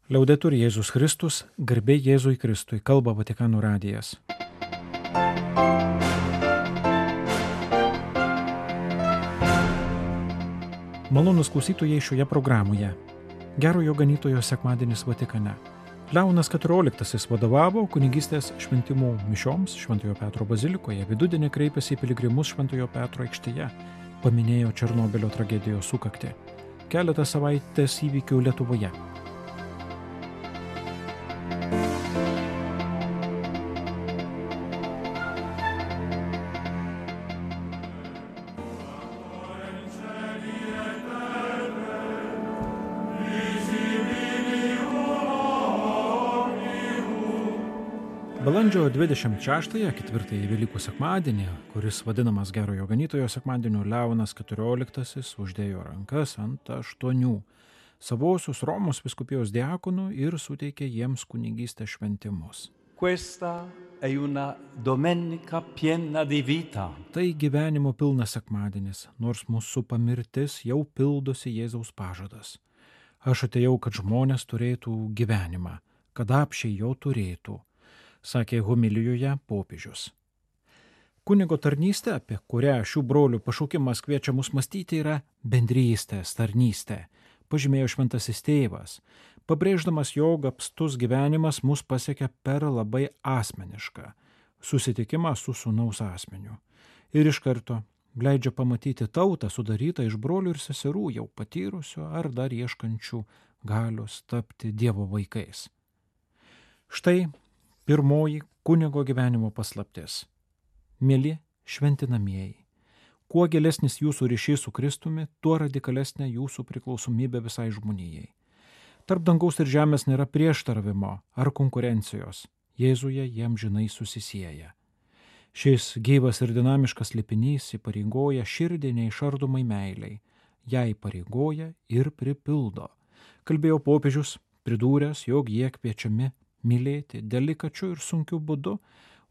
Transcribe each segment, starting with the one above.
Liaudetur Jėzus Kristus, garbė Jėzui Kristui, kalba Vatikano radijas. Malonūs klausytojai šioje programoje. Gerojo ganytojo sekmadienis Vatikane. Leonas XIV vadovavo kunigystės šventimų mišioms Šventojo Petro bazilikoje, vidudienį kreipėsi į piligrimus Šventojo Petro aikštėje, paminėjo Černobylio tragedijos sukaktį. Keletą savaitės įvykių Lietuvoje. Balandžio 26-ąją, ketvirtąjį Velykų sekmadienį, kuris vadinamas Gerojo ganytojo sekmadieniu, Leonas XIV uždėjo rankas ant 8 savosios Romos vyskupijos diakonų ir suteikė jiems kunigystės šventimus. Questa è una domenica piena di vita. Tai gyvenimo pilnas sekmadienis, nors mūsų pamirtis jau pildosi Jėzaus pažadas. Aš atėjau, kad žmonės turėtų gyvenimą, kad apsčiai jo turėtų, sakė homilijoje popiežius. Kunigo tarnystė, apie kurią šių brolių pašaukimas kviečia mus mąstyti, yra bendrystės tarnystė, pažymėjo šventasis tėvas, pabrėždamas, jog apstus gyvenimas mus pasiekia per labai asmenišką susitikimą su sūnaus asmeniu. Ir iš karto leidžia pamatyti tautą sudarytą iš brolių ir seserų jau patyrusių ar dar ieškančių galios tapti Dievo vaikais. Štai pirmoji kunigo gyvenimo paslaptis. Mieli šventinamieji, kuo gilesnis jūsų ryšys su Kristumi, tuo radikalesnė jūsų priklausomybė visai žmonijai. Tarp dangaus ir žemės nėra prieštaravimo ar konkurencijos. Jėzuje jie amžinai susisieja. Šis gyvas ir dinamiškas slėpinys įpareigoja širdį neišardomai meiliai. Ją įpareigoja ir pripildo. Kalbėjo popiežius, pridūręs, jog jie kviečiami mylėti delikačiu ir sunkiu būdu,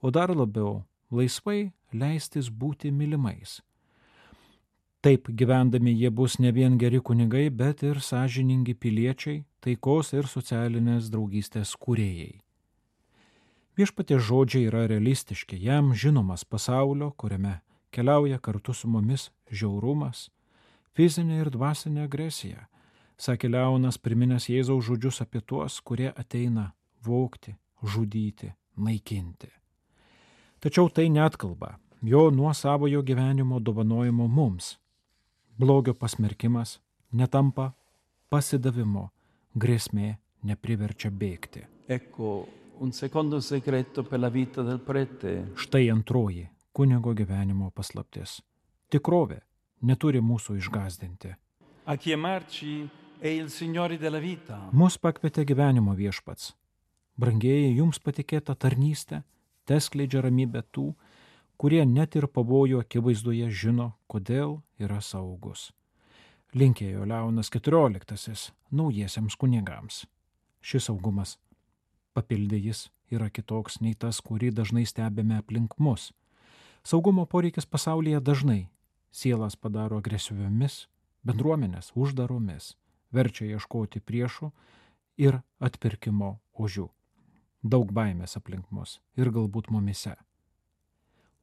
o dar labiau laisvai leistis būti mylimais. Taip gyvendami jie bus ne vien geri kunigai, bet ir sąžiningi piliečiai, taikos ir socialinės draugystės kūrėjai. Viešpaties žodžiai yra realistiški, jam žinomas pasaulio, kuriame keliauja kartu su mumis žiaurumas, fizinė ir dvasinė agresija, sakė Leonas, priminęs Jėzaus žodžius apie tuos, kurie ateina vogti, žudyti, naikinti. Tačiau tai neatkalba jo nuosavojo gyvenimo dovanojimo mums. Blogio pasmerkimas netampa pasidavimu, grėsmė nepriverčia bėgti. Ecco un secondo segreto per la vita del prete. Štai antroji kunigo gyvenimo paslaptis. Tikrovė neturi mūsų išgąsdinti. A chiamarci è il Signore della vita. Mus pakvietė gyvenimo viešpats. Brangieji, jums patikėta tarnystė teskleidžia ramybę tų, kurie net ir pavojų akivaizdoje žino, kodėl yra saugus. Linkėjo Leonas XIV naujiesiems kunigams. Šis saugumas, papildė jis, yra kitoks nei tas, kurį dažnai stebime aplink mus. Saugumo poreikis pasaulyje dažnai sielas padaro agresyviomis, bendruomenės uždaromis, verčia ieškoti priešų ir atpirkimo ožių. Daug baimės aplink mus ir galbūt mumise.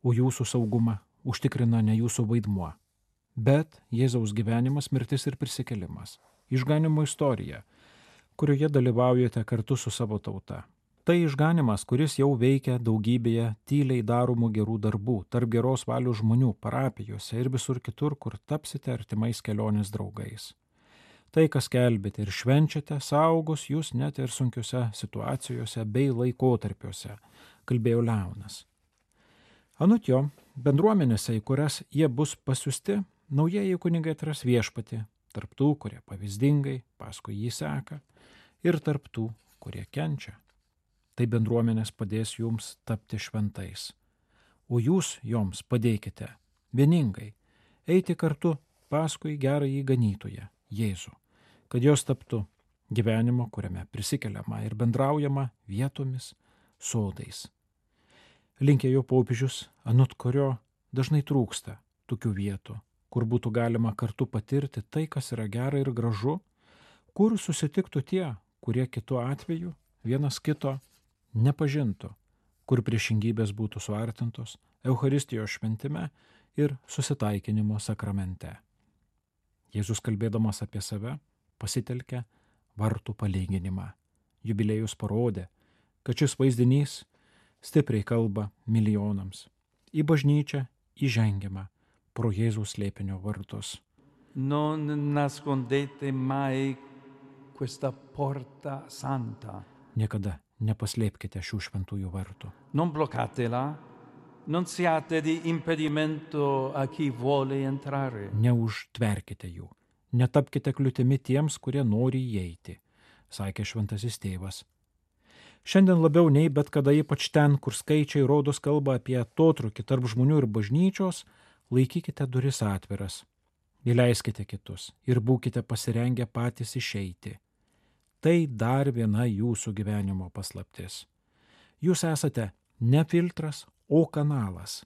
O jūsų saugumą užtikrina ne jūsų vaidmuo, bet Jėzaus gyvenimas, mirtis ir prisikėlimas, išganimo istorija, kurioje dalyvaujate kartu su savo tauta. Tai išganimas, kuris jau veikia daugybėje tyliai daromų gerų darbų, tarp geros valios žmonių, parapijose ir visur kitur, kur tapsite artimais kelionės draugais. Tai, kas kelbėte ir švenčiate, saugos jūs net ir sunkiuose situacijose bei laikotarpiuose, kalbėjo Leonas. Anot jo, bendruomenėse, į kurias jie bus pasiųsti, naujieji kunigai atras viešpatį, tarp tų, kurie pavyzdingai paskui jį seka, ir tarp tų, kurie kenčia. Tai bendruomenės padės jums tapti šventais. O jūs joms padėkite vieningai eiti kartu paskui gerąjį ganytoją, Jėzų, kad jos taptų gyvenimo, kuriame prisikeliama ir bendraujama vietomis, sodais. Linkėjo popiežius, anot kurio dažnai trūksta tokių vietų, kur būtų galima kartu patirti tai, kas yra gera ir gražu, kur susitiktų tie, kurie kitu atveju vienas kito nepažintų, kur priešingybės būtų suartintos Eucharistijos šventime ir susitaikinimo sakramente. Jėzus kalbėdamas apie save pasitelkė vartų palyginimą. Jubiliejus parodė, kad šis vaizdinys stipriai kalba milijonams. Į bažnyčią įžengiama pro Jėzaus slėpinio vartus. Non nascondete mai questa porta santa. Niekada nepaslėpkite šių šventųjų vartų. Non bloccatela, non siate di impedimento a chi vuole entrare. Neužtverkite jų, netapkite kliūtimi tiems, kurie nori įeiti, sakė šventasis tėvas. Šiandien labiau nei bet kada, ypač ten, kur skaičiai rodos kalba apie atotrūkį tarp žmonių ir bažnyčios, laikykite duris atviras, įleiskite kitus ir būkite pasirengę patys išeiti. Tai dar viena jūsų gyvenimo paslaptis. Jūs esate ne filtras, o kanalas.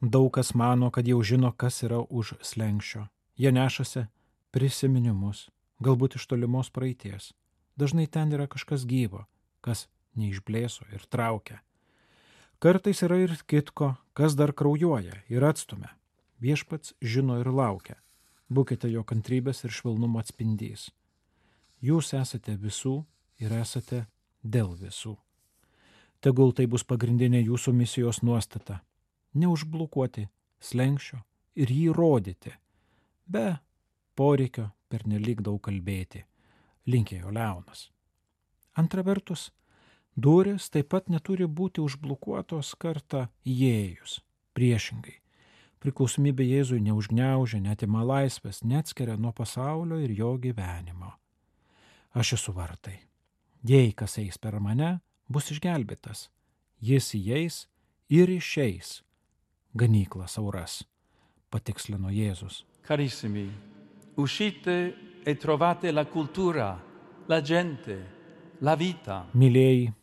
Daug kas mano, kad jau žino, kas yra už slenksčio. Jie nešasi prisiminimus, galbūt iš tolimos praeities. Dažnai ten yra kažkas gyvo, kas neišblėso ir traukia. Kartais yra ir kitko, kas dar kraujuoja ir atstumia. Viešpats žino ir laukia. Būkite jo kantrybės ir švelnumo atspindys. Jūs esate visų ir esate dėl visų. Tegul tai bus pagrindinė jūsų misijos nuostata. Neužblokuoti slenksčio ir jį rodyti, be poreikio pernelyg daug kalbėti, linkėjo Leonas. Antra vertus, durys taip pat neturi būti užblokuotos kartą įėjus. Priešingai, priklausomybė Jėzui neužgniaužia, neatima laisvės, neatskiria nuo pasaulio ir jo gyvenimo. Aš esu vartai. Jei kas eis per mane, bus išgelbėtas. Jis įeis ir išeis. Ganykla sauras, patikslino Jėzus. Carissimi, uscite e trovate la cultura, la gente, la vita. Mylėjai,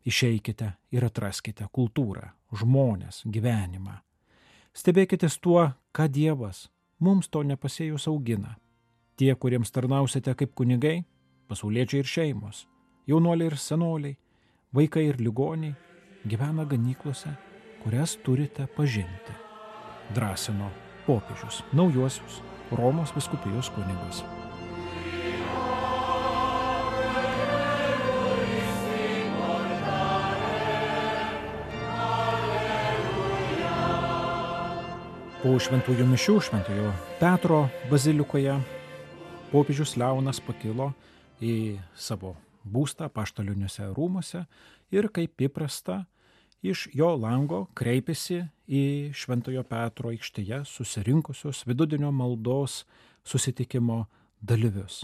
išeikite ir atraskite kultūrą, žmonės, gyvenimą. Stebėkitės tuo, ką Dievas mums to nepasėjus augina. Tie, kuriems tarnausite kaip kunigai, pasauliečiai ir šeimos, jaunuoliai ir senoliai, vaikai ir ligoniai, gyvena ganyklose, kurias turite pažinti. Drąsino popiežius naujuosius Romos vyskupijos kunigus. Po šventųjų mišių Šventojo Petro bazilikoje popiežius Leonas pakilo į savo būstą apaštaliniuose rūmuose ir kaip įprasta iš jo lango kreipėsi į Šventojo Petro aikštėje susirinkusius vidudienio maldos susitikimo dalyvius.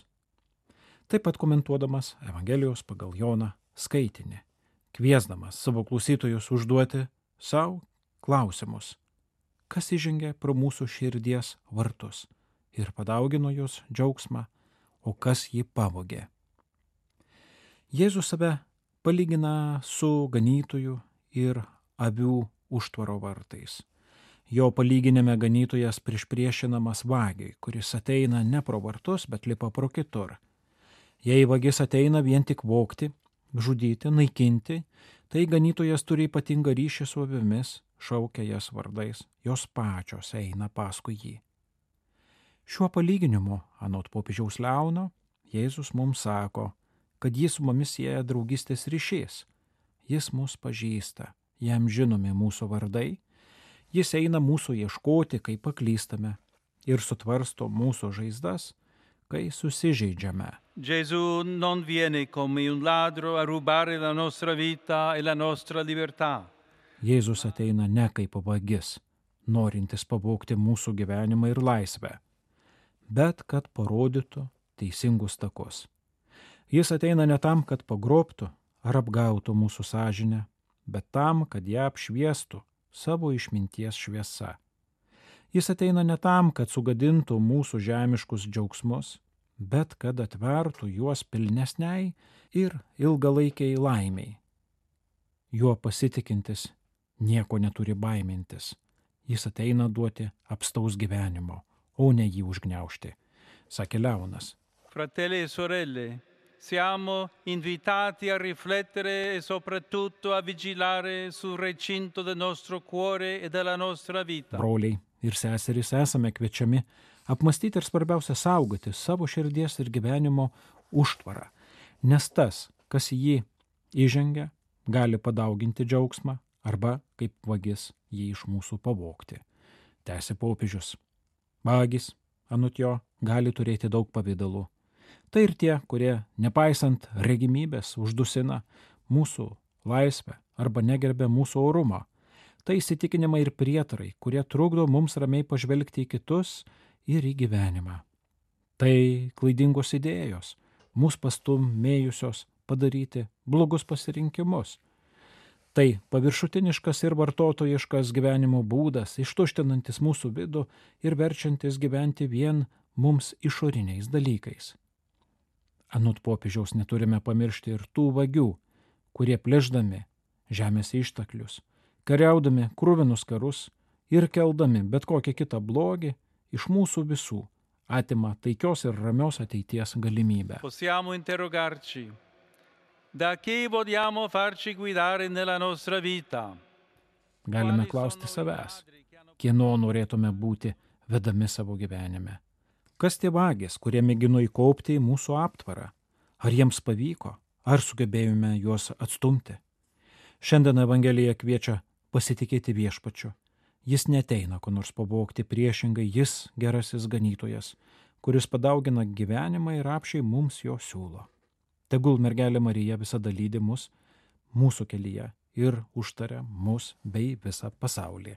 Taip pat komentuodamas Evangelijos pagal Joną skaitinį, kviesdamas savo klausytojus užduoti savo klausimus, kas įžengė pro mūsų širdies vartus ir padaugino jos džiaugsmą, o kas jį pavogė. Jėzus save palygina su ganytoju ir avių užtvaro vartais. Jo palyginime ganytojas priešinamas vagiui, kuris ateina ne pro vartus, bet lipa pro kitur. Jei vagis ateina vien tik vogti, žudyti, naikinti, tai ganytojas turi ypatingą ryšį su avimis, šaukia jas vardais, jos pačios eina paskui jį. Šiuo palyginimu, anot popiežiaus Leono, Jėzus mums sako, kad jis su mumis sieja draugystės ryšys. Jis mus pažįsta, jam žinomi mūsų vardai, jis eina mūsų ieškoti, kai paklystame, ir sutvarsto mūsų žaizdas, kai susižeidžiame. Gesù non viene come un ladro a rubare la nostra vita e la nostra libertà. Jėzus ateina ne kaip vagis, norintis pavogti mūsų gyvenimą ir laisvę, bet kad parodytų teisingus takus. Jis ateina ne tam, kad pagrobtų ar apgautų mūsų sąžinę, bet tam, kad ją apšviestų savo išminties šviesa. Jis ateina ne tam, kad sugadintų mūsų žemiškus džiaugsmus, bet kad atvertų juos pilnesniai ir ilgalaikiai laimiai. Juo pasitikintis nieko neturi baimintis. Jis ateina duoti apstaus gyvenimo, o ne jį užgniaužti, sakė Leonas. Fratelli e sorelle, siamo invitati a riflettere e soprattutto a vigilare sul recinto del nostro cuore e della nostra vita. Broliai ir seserys, esame kviečiami apmastyti ir svarbiausia saugoti savo širdies ir gyvenimo užtvarą, nes tas, kas į jį įžengia, gali padauginti džiaugsmą arba kaip vagis jį iš mūsų pavogti. Tęsė popiežius. Vagis, anot jo, gali turėti daug pavydalų. Tai ir tie, kurie, nepaisant regimybės, uždusina mūsų laisvę arba negerbia mūsų orumą. Tai įsitikinimai ir prietarai, kurie trukdo mums ramiai pažvelgti į kitus ir į gyvenimą. Tai klaidingos idėjos, mūsų pastumėjusios padaryti blogus pasirinkimus. Tai paviršutiniškas ir vartotojiškas gyvenimo būdas, ištuštinantis mūsų vidų ir verčiantis gyventi vien mums išoriniais dalykais. Anot popiežiaus neturime pamiršti ir tų vagių, kurie plėšdami žemės išteklius, kariaudami kruvinus karus ir keldami bet kokią kitą blogį iš mūsų visų atima taikios ir ramios ateities galimybę. Possiamo interrogarci. Da chi vogliamo farci guidare nella nostra vita? Galime klausti savęs, kieno norėtume būti vedami savo gyvenime. Kas tie vagis, kurie mėgino įkaupti į mūsų aptvarą? Ar jiems pavyko? Ar sugebėjome juos atstumti? Šiandien Evangelija kviečia pasitikėti Viešpačiu. Jis neteina ko nors pavogti, priešingai jis gerasis ganytojas, kuris padaugina gyvenimą ir apšiai mums jo siūlo. Tegul mergelė Marija visada lydi mus mūsų kelyje ir užtaria mus bei visą pasaulį,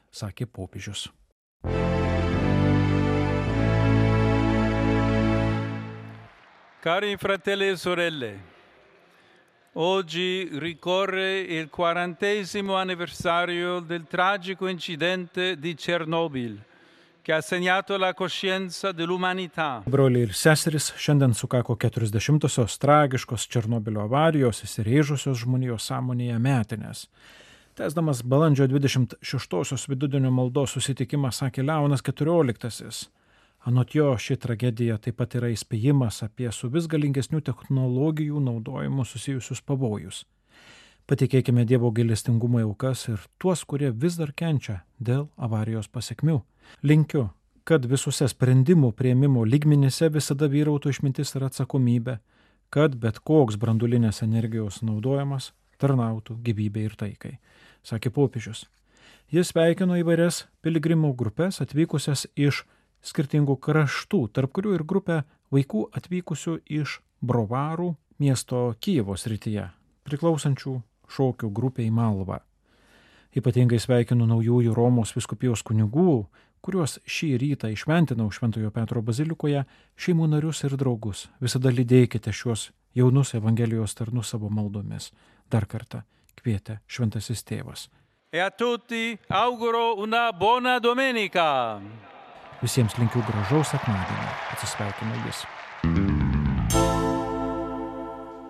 sakė popiežius. Cari fratelli e sorelle, oggi ricorre il 40° anniversario del tragico incidente di Chernobyl, che ha segnato la coscienza dell'umanità. Broliai ir seserys, šiandien sukako 40-osios tragiškos Černobylio avarijos įsirėžusios žmonijos sąmonėje metinės. Tęsdamas balandžio 26-osios vidudienio maldos susitikimą sakė Leonas XIV. Anot jo, ši tragedija taip pat yra įspėjimas apie su vis galingesnių technologijų naudojimu susijusius pavojus. Patikėkime Dievo gailestingumo aukas ir tuos, kurie vis dar kenčia dėl avarijos pasekmių. Linkiu, kad visuose sprendimų priėmimo lygmenyse visada vyrautų išmintis ir atsakomybė, kad bet koks branduolinės energijos naudojimas tarnautų gyvybei ir taikai, sakė popiežius. Jis sveikino įvairias piligrimų grupės atvykusias iš skirtingų kraštų, tarp kurių ir grupę vaikų atvykusių iš Brovarų miesto Kijevo srityje, priklausančių šokių grupiai Malva. Ypatingai sveikinu naujųjų Romos vyskupijos kunigų, kuriuos šį rytą išventinau Šventojo Petro bazilikoje, šeimų narius ir draugus. Visada lydėkite šiuos jaunus Evangelijos tarnus savo maldomis. Dar kartą kvietė Šventasis Tėvas. E a tutti auguro una buona domenica. Visiems linkiu gražaus sekmadienio. Atsisveikino jis.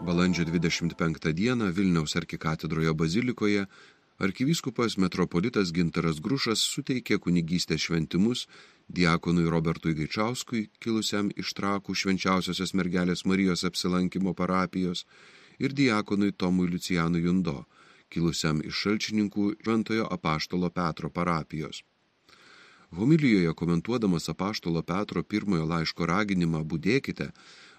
Balandžio 25 dieną Vilniaus arkikatedroje bazilikoje arkivyskupas metropolitas Gintaras Grušas suteikė kunigystės šventimus diakonui Robertui Gaičauskui, kilusiam iš Trakų Švenčiausiosios mergelės Marijos apsilankimo parapijos, ir diakonui Tomui Liucijanui Jundo, kilusiam iš Šalčininkų Šventojo Apaštalo Petro parapijos. Homilijoje komentuodamas Apaštalo Petro pirmojo laiško raginimą budėkite,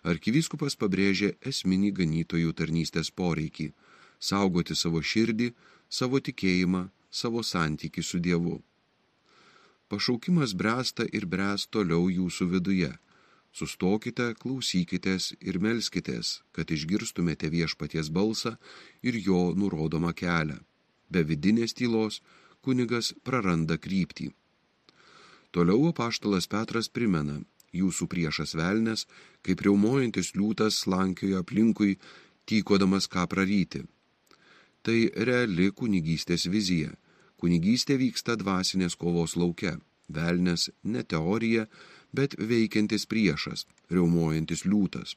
arkivyskupas pabrėžė esminį ganytojų tarnystės poreikį – saugoti savo širdį, savo tikėjimą, savo santykį su Dievu. Pašaukimas bręsta ir bręs toliau jūsų viduje. Sustokite, klausykitės ir melskitės, kad išgirstumėte Viešpaties balsą ir jo nurodomą kelią. Be vidinės tylos kunigas praranda kryptį. Toliau apaštalas Petras primena, jūsų priešas velnias, kaip riaumojantis liūtas slankioja aplinkui, tykodamas ką praryti. Tai reali kunigystės vizija. Kunigystė vyksta dvasinės kovos lauke. Velnias ne teorija, bet veikiantis priešas, riaumojantis liūtas.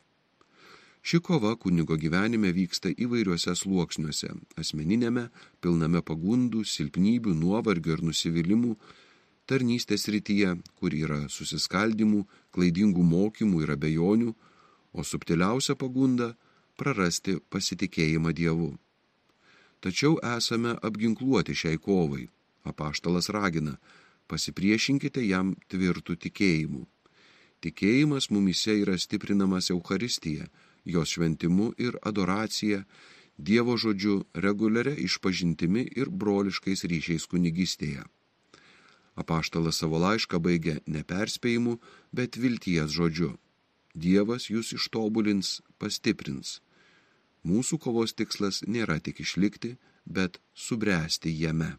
Ši kova kunigo gyvenime vyksta įvairiuose sluoksniuose – asmeninėme, pilname pagundų, silpnybių, nuovargio ir nusivylimų, tarnystės srityje, kur yra susiskaldimų, klaidingų mokymų ir abejonių, o subtiliausia pagunda – prarasti pasitikėjimą Dievu. Tačiau esame apginkluoti šiai kovai. Apaštalas ragina, pasipriešinkite jam tvirtų tikėjimu. Tikėjimas mumyse yra stiprinamas Eucharistija, jos šventimu ir adoracija, Dievo žodžiu, reguliaria išpažintimi ir broliškais ryšiais kunigystėje. Apaštalas savo laišką baigia ne perspėjimu, bet vilties žodžiu. Dievas jūs ištobulins, pastiprins. Mūsų kovos tikslas nėra tik išlikti, bet subręsti jame.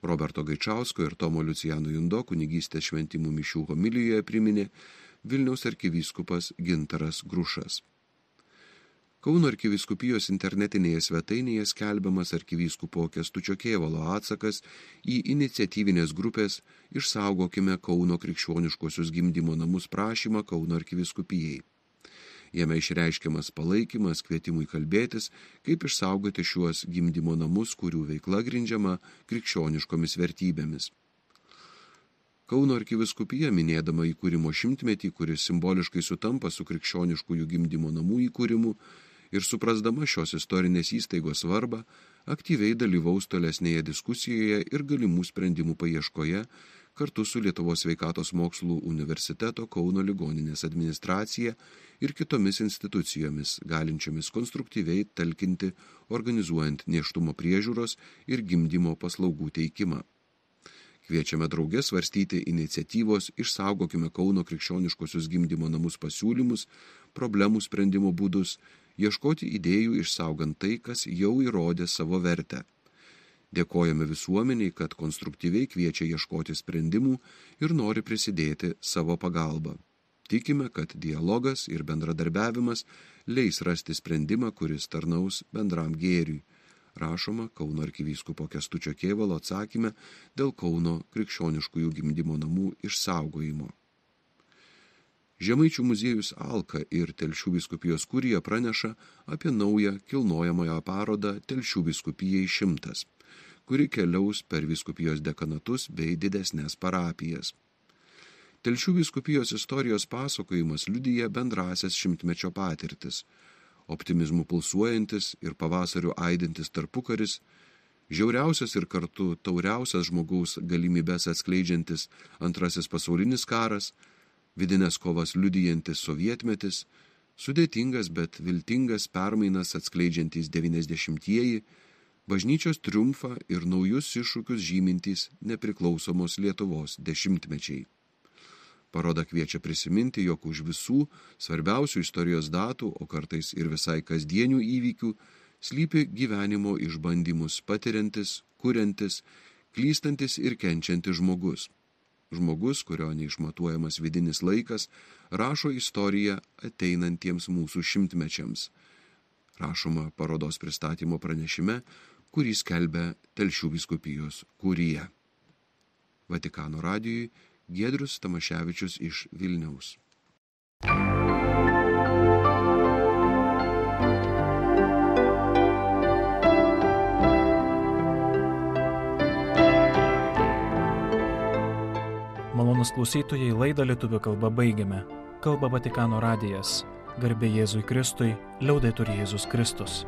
Roberto Gaičausko ir Tomo Liucijano Jundo kunigystės šventimų mišių homilijoje priminė Vilniaus arkivyskupas Gintaras Grušas. Kauno arkivyskupijos internetinėje svetainėje skelbiamas arkivyskupo Kęstučio Kėvalo atsakas į iniciatyvinės grupės Išsaugokime Kauno krikščioniškuosius gimdymo namus prašymą Kauno arkivyskupijai. Jame išreiškiamas palaikymas kvietimui kalbėtis, kaip išsaugoti šiuos gimdymo namus, kurių veikla grindžiama krikščioniškomis vertybėmis. Kauno arkivyskupija, minėdama įkūrimo 100-metį, kuris simboliškai sutampa su krikščioniškųjų gimdymo namų įkūrimu, ir suprasdama šios istorinės įstaigos svarbą, aktyviai dalyvaus tolesnėje diskusijoje ir galimų sprendimų paieškoje kartu su Lietuvos sveikatos mokslų universiteto Kauno ligoninės administracija ir kitomis institucijomis, galinčiomis konstruktyviai talkinti, organizuojant nėštumo priežiūros ir gimdymo paslaugų teikimą. Kviečiame drauge svarstyti iniciatyvos Išsaugokime Kauno krikščioniškosius gimdymo namus pasiūlymus, problemų sprendimo būdus, ieškoti idėjų išsaugant tai, kas jau įrodė savo vertę. Dėkojame visuomeniai, kad konstruktyviai kviečia ieškoti sprendimų ir nori prisidėti savo pagalbą. Tikime, kad dialogas ir bendradarbiavimas leis rasti sprendimą, kuris tarnaus bendram gėriui. Rašoma Kauno arkivyskupo Kęstučio Kėvalo atsakyme dėl Kauno krikščioniškųjų gimdymo namų išsaugojimo. Žemaičių muziejus Alka ir Telšių vyskupijos kurija praneša apie naują kilnojamąją parodą Telšių vyskupijai 100, kuri keliaus per vyskupijos dekanatus bei didesnės parapijas. Telšių vyskupijos istorijos pasakojimas liudija bendrasias 100-mečio patirtis, optimizmų pulsuojantis ir pavasariu aidintis tarpukaris, žiauriausias ir kartu tauriausias žmogaus galimybės atskleidžiantis Antrasis pasaulinis karas, vidinės kovas liudijantis sovietmetis, sudėtingas, bet viltingas permainas atskleidžiantys 90-ieji, bažnyčios triumfą ir naujus iššūkius žymintys nepriklausomos Lietuvos dešimtmečiai. Paroda kviečia prisiminti, jog už visų svarbiausių istorijos datų, o kartais ir visai kasdienių įvykių, slypi gyvenimo išbandymus patiriantis, kuriantis, klystantis ir kenčiantis žmogus. Žmogus, kurio neišmatuojamas vidinis laikas, rašo istoriją ateinantiems mūsų 100-mečiams. Rašoma parodos pristatymo pranešime, kurį skelbia Telšių vyskupijos kurija. Vatikano radijui Giedrius Tamaševičius iš Vilniaus. Malonūs klausytojai, laidą lietuvių kalba baigiame. Kalba Vatikano radijas. Garbė Jėzui Kristui, liaudetur Jėzus Kristus.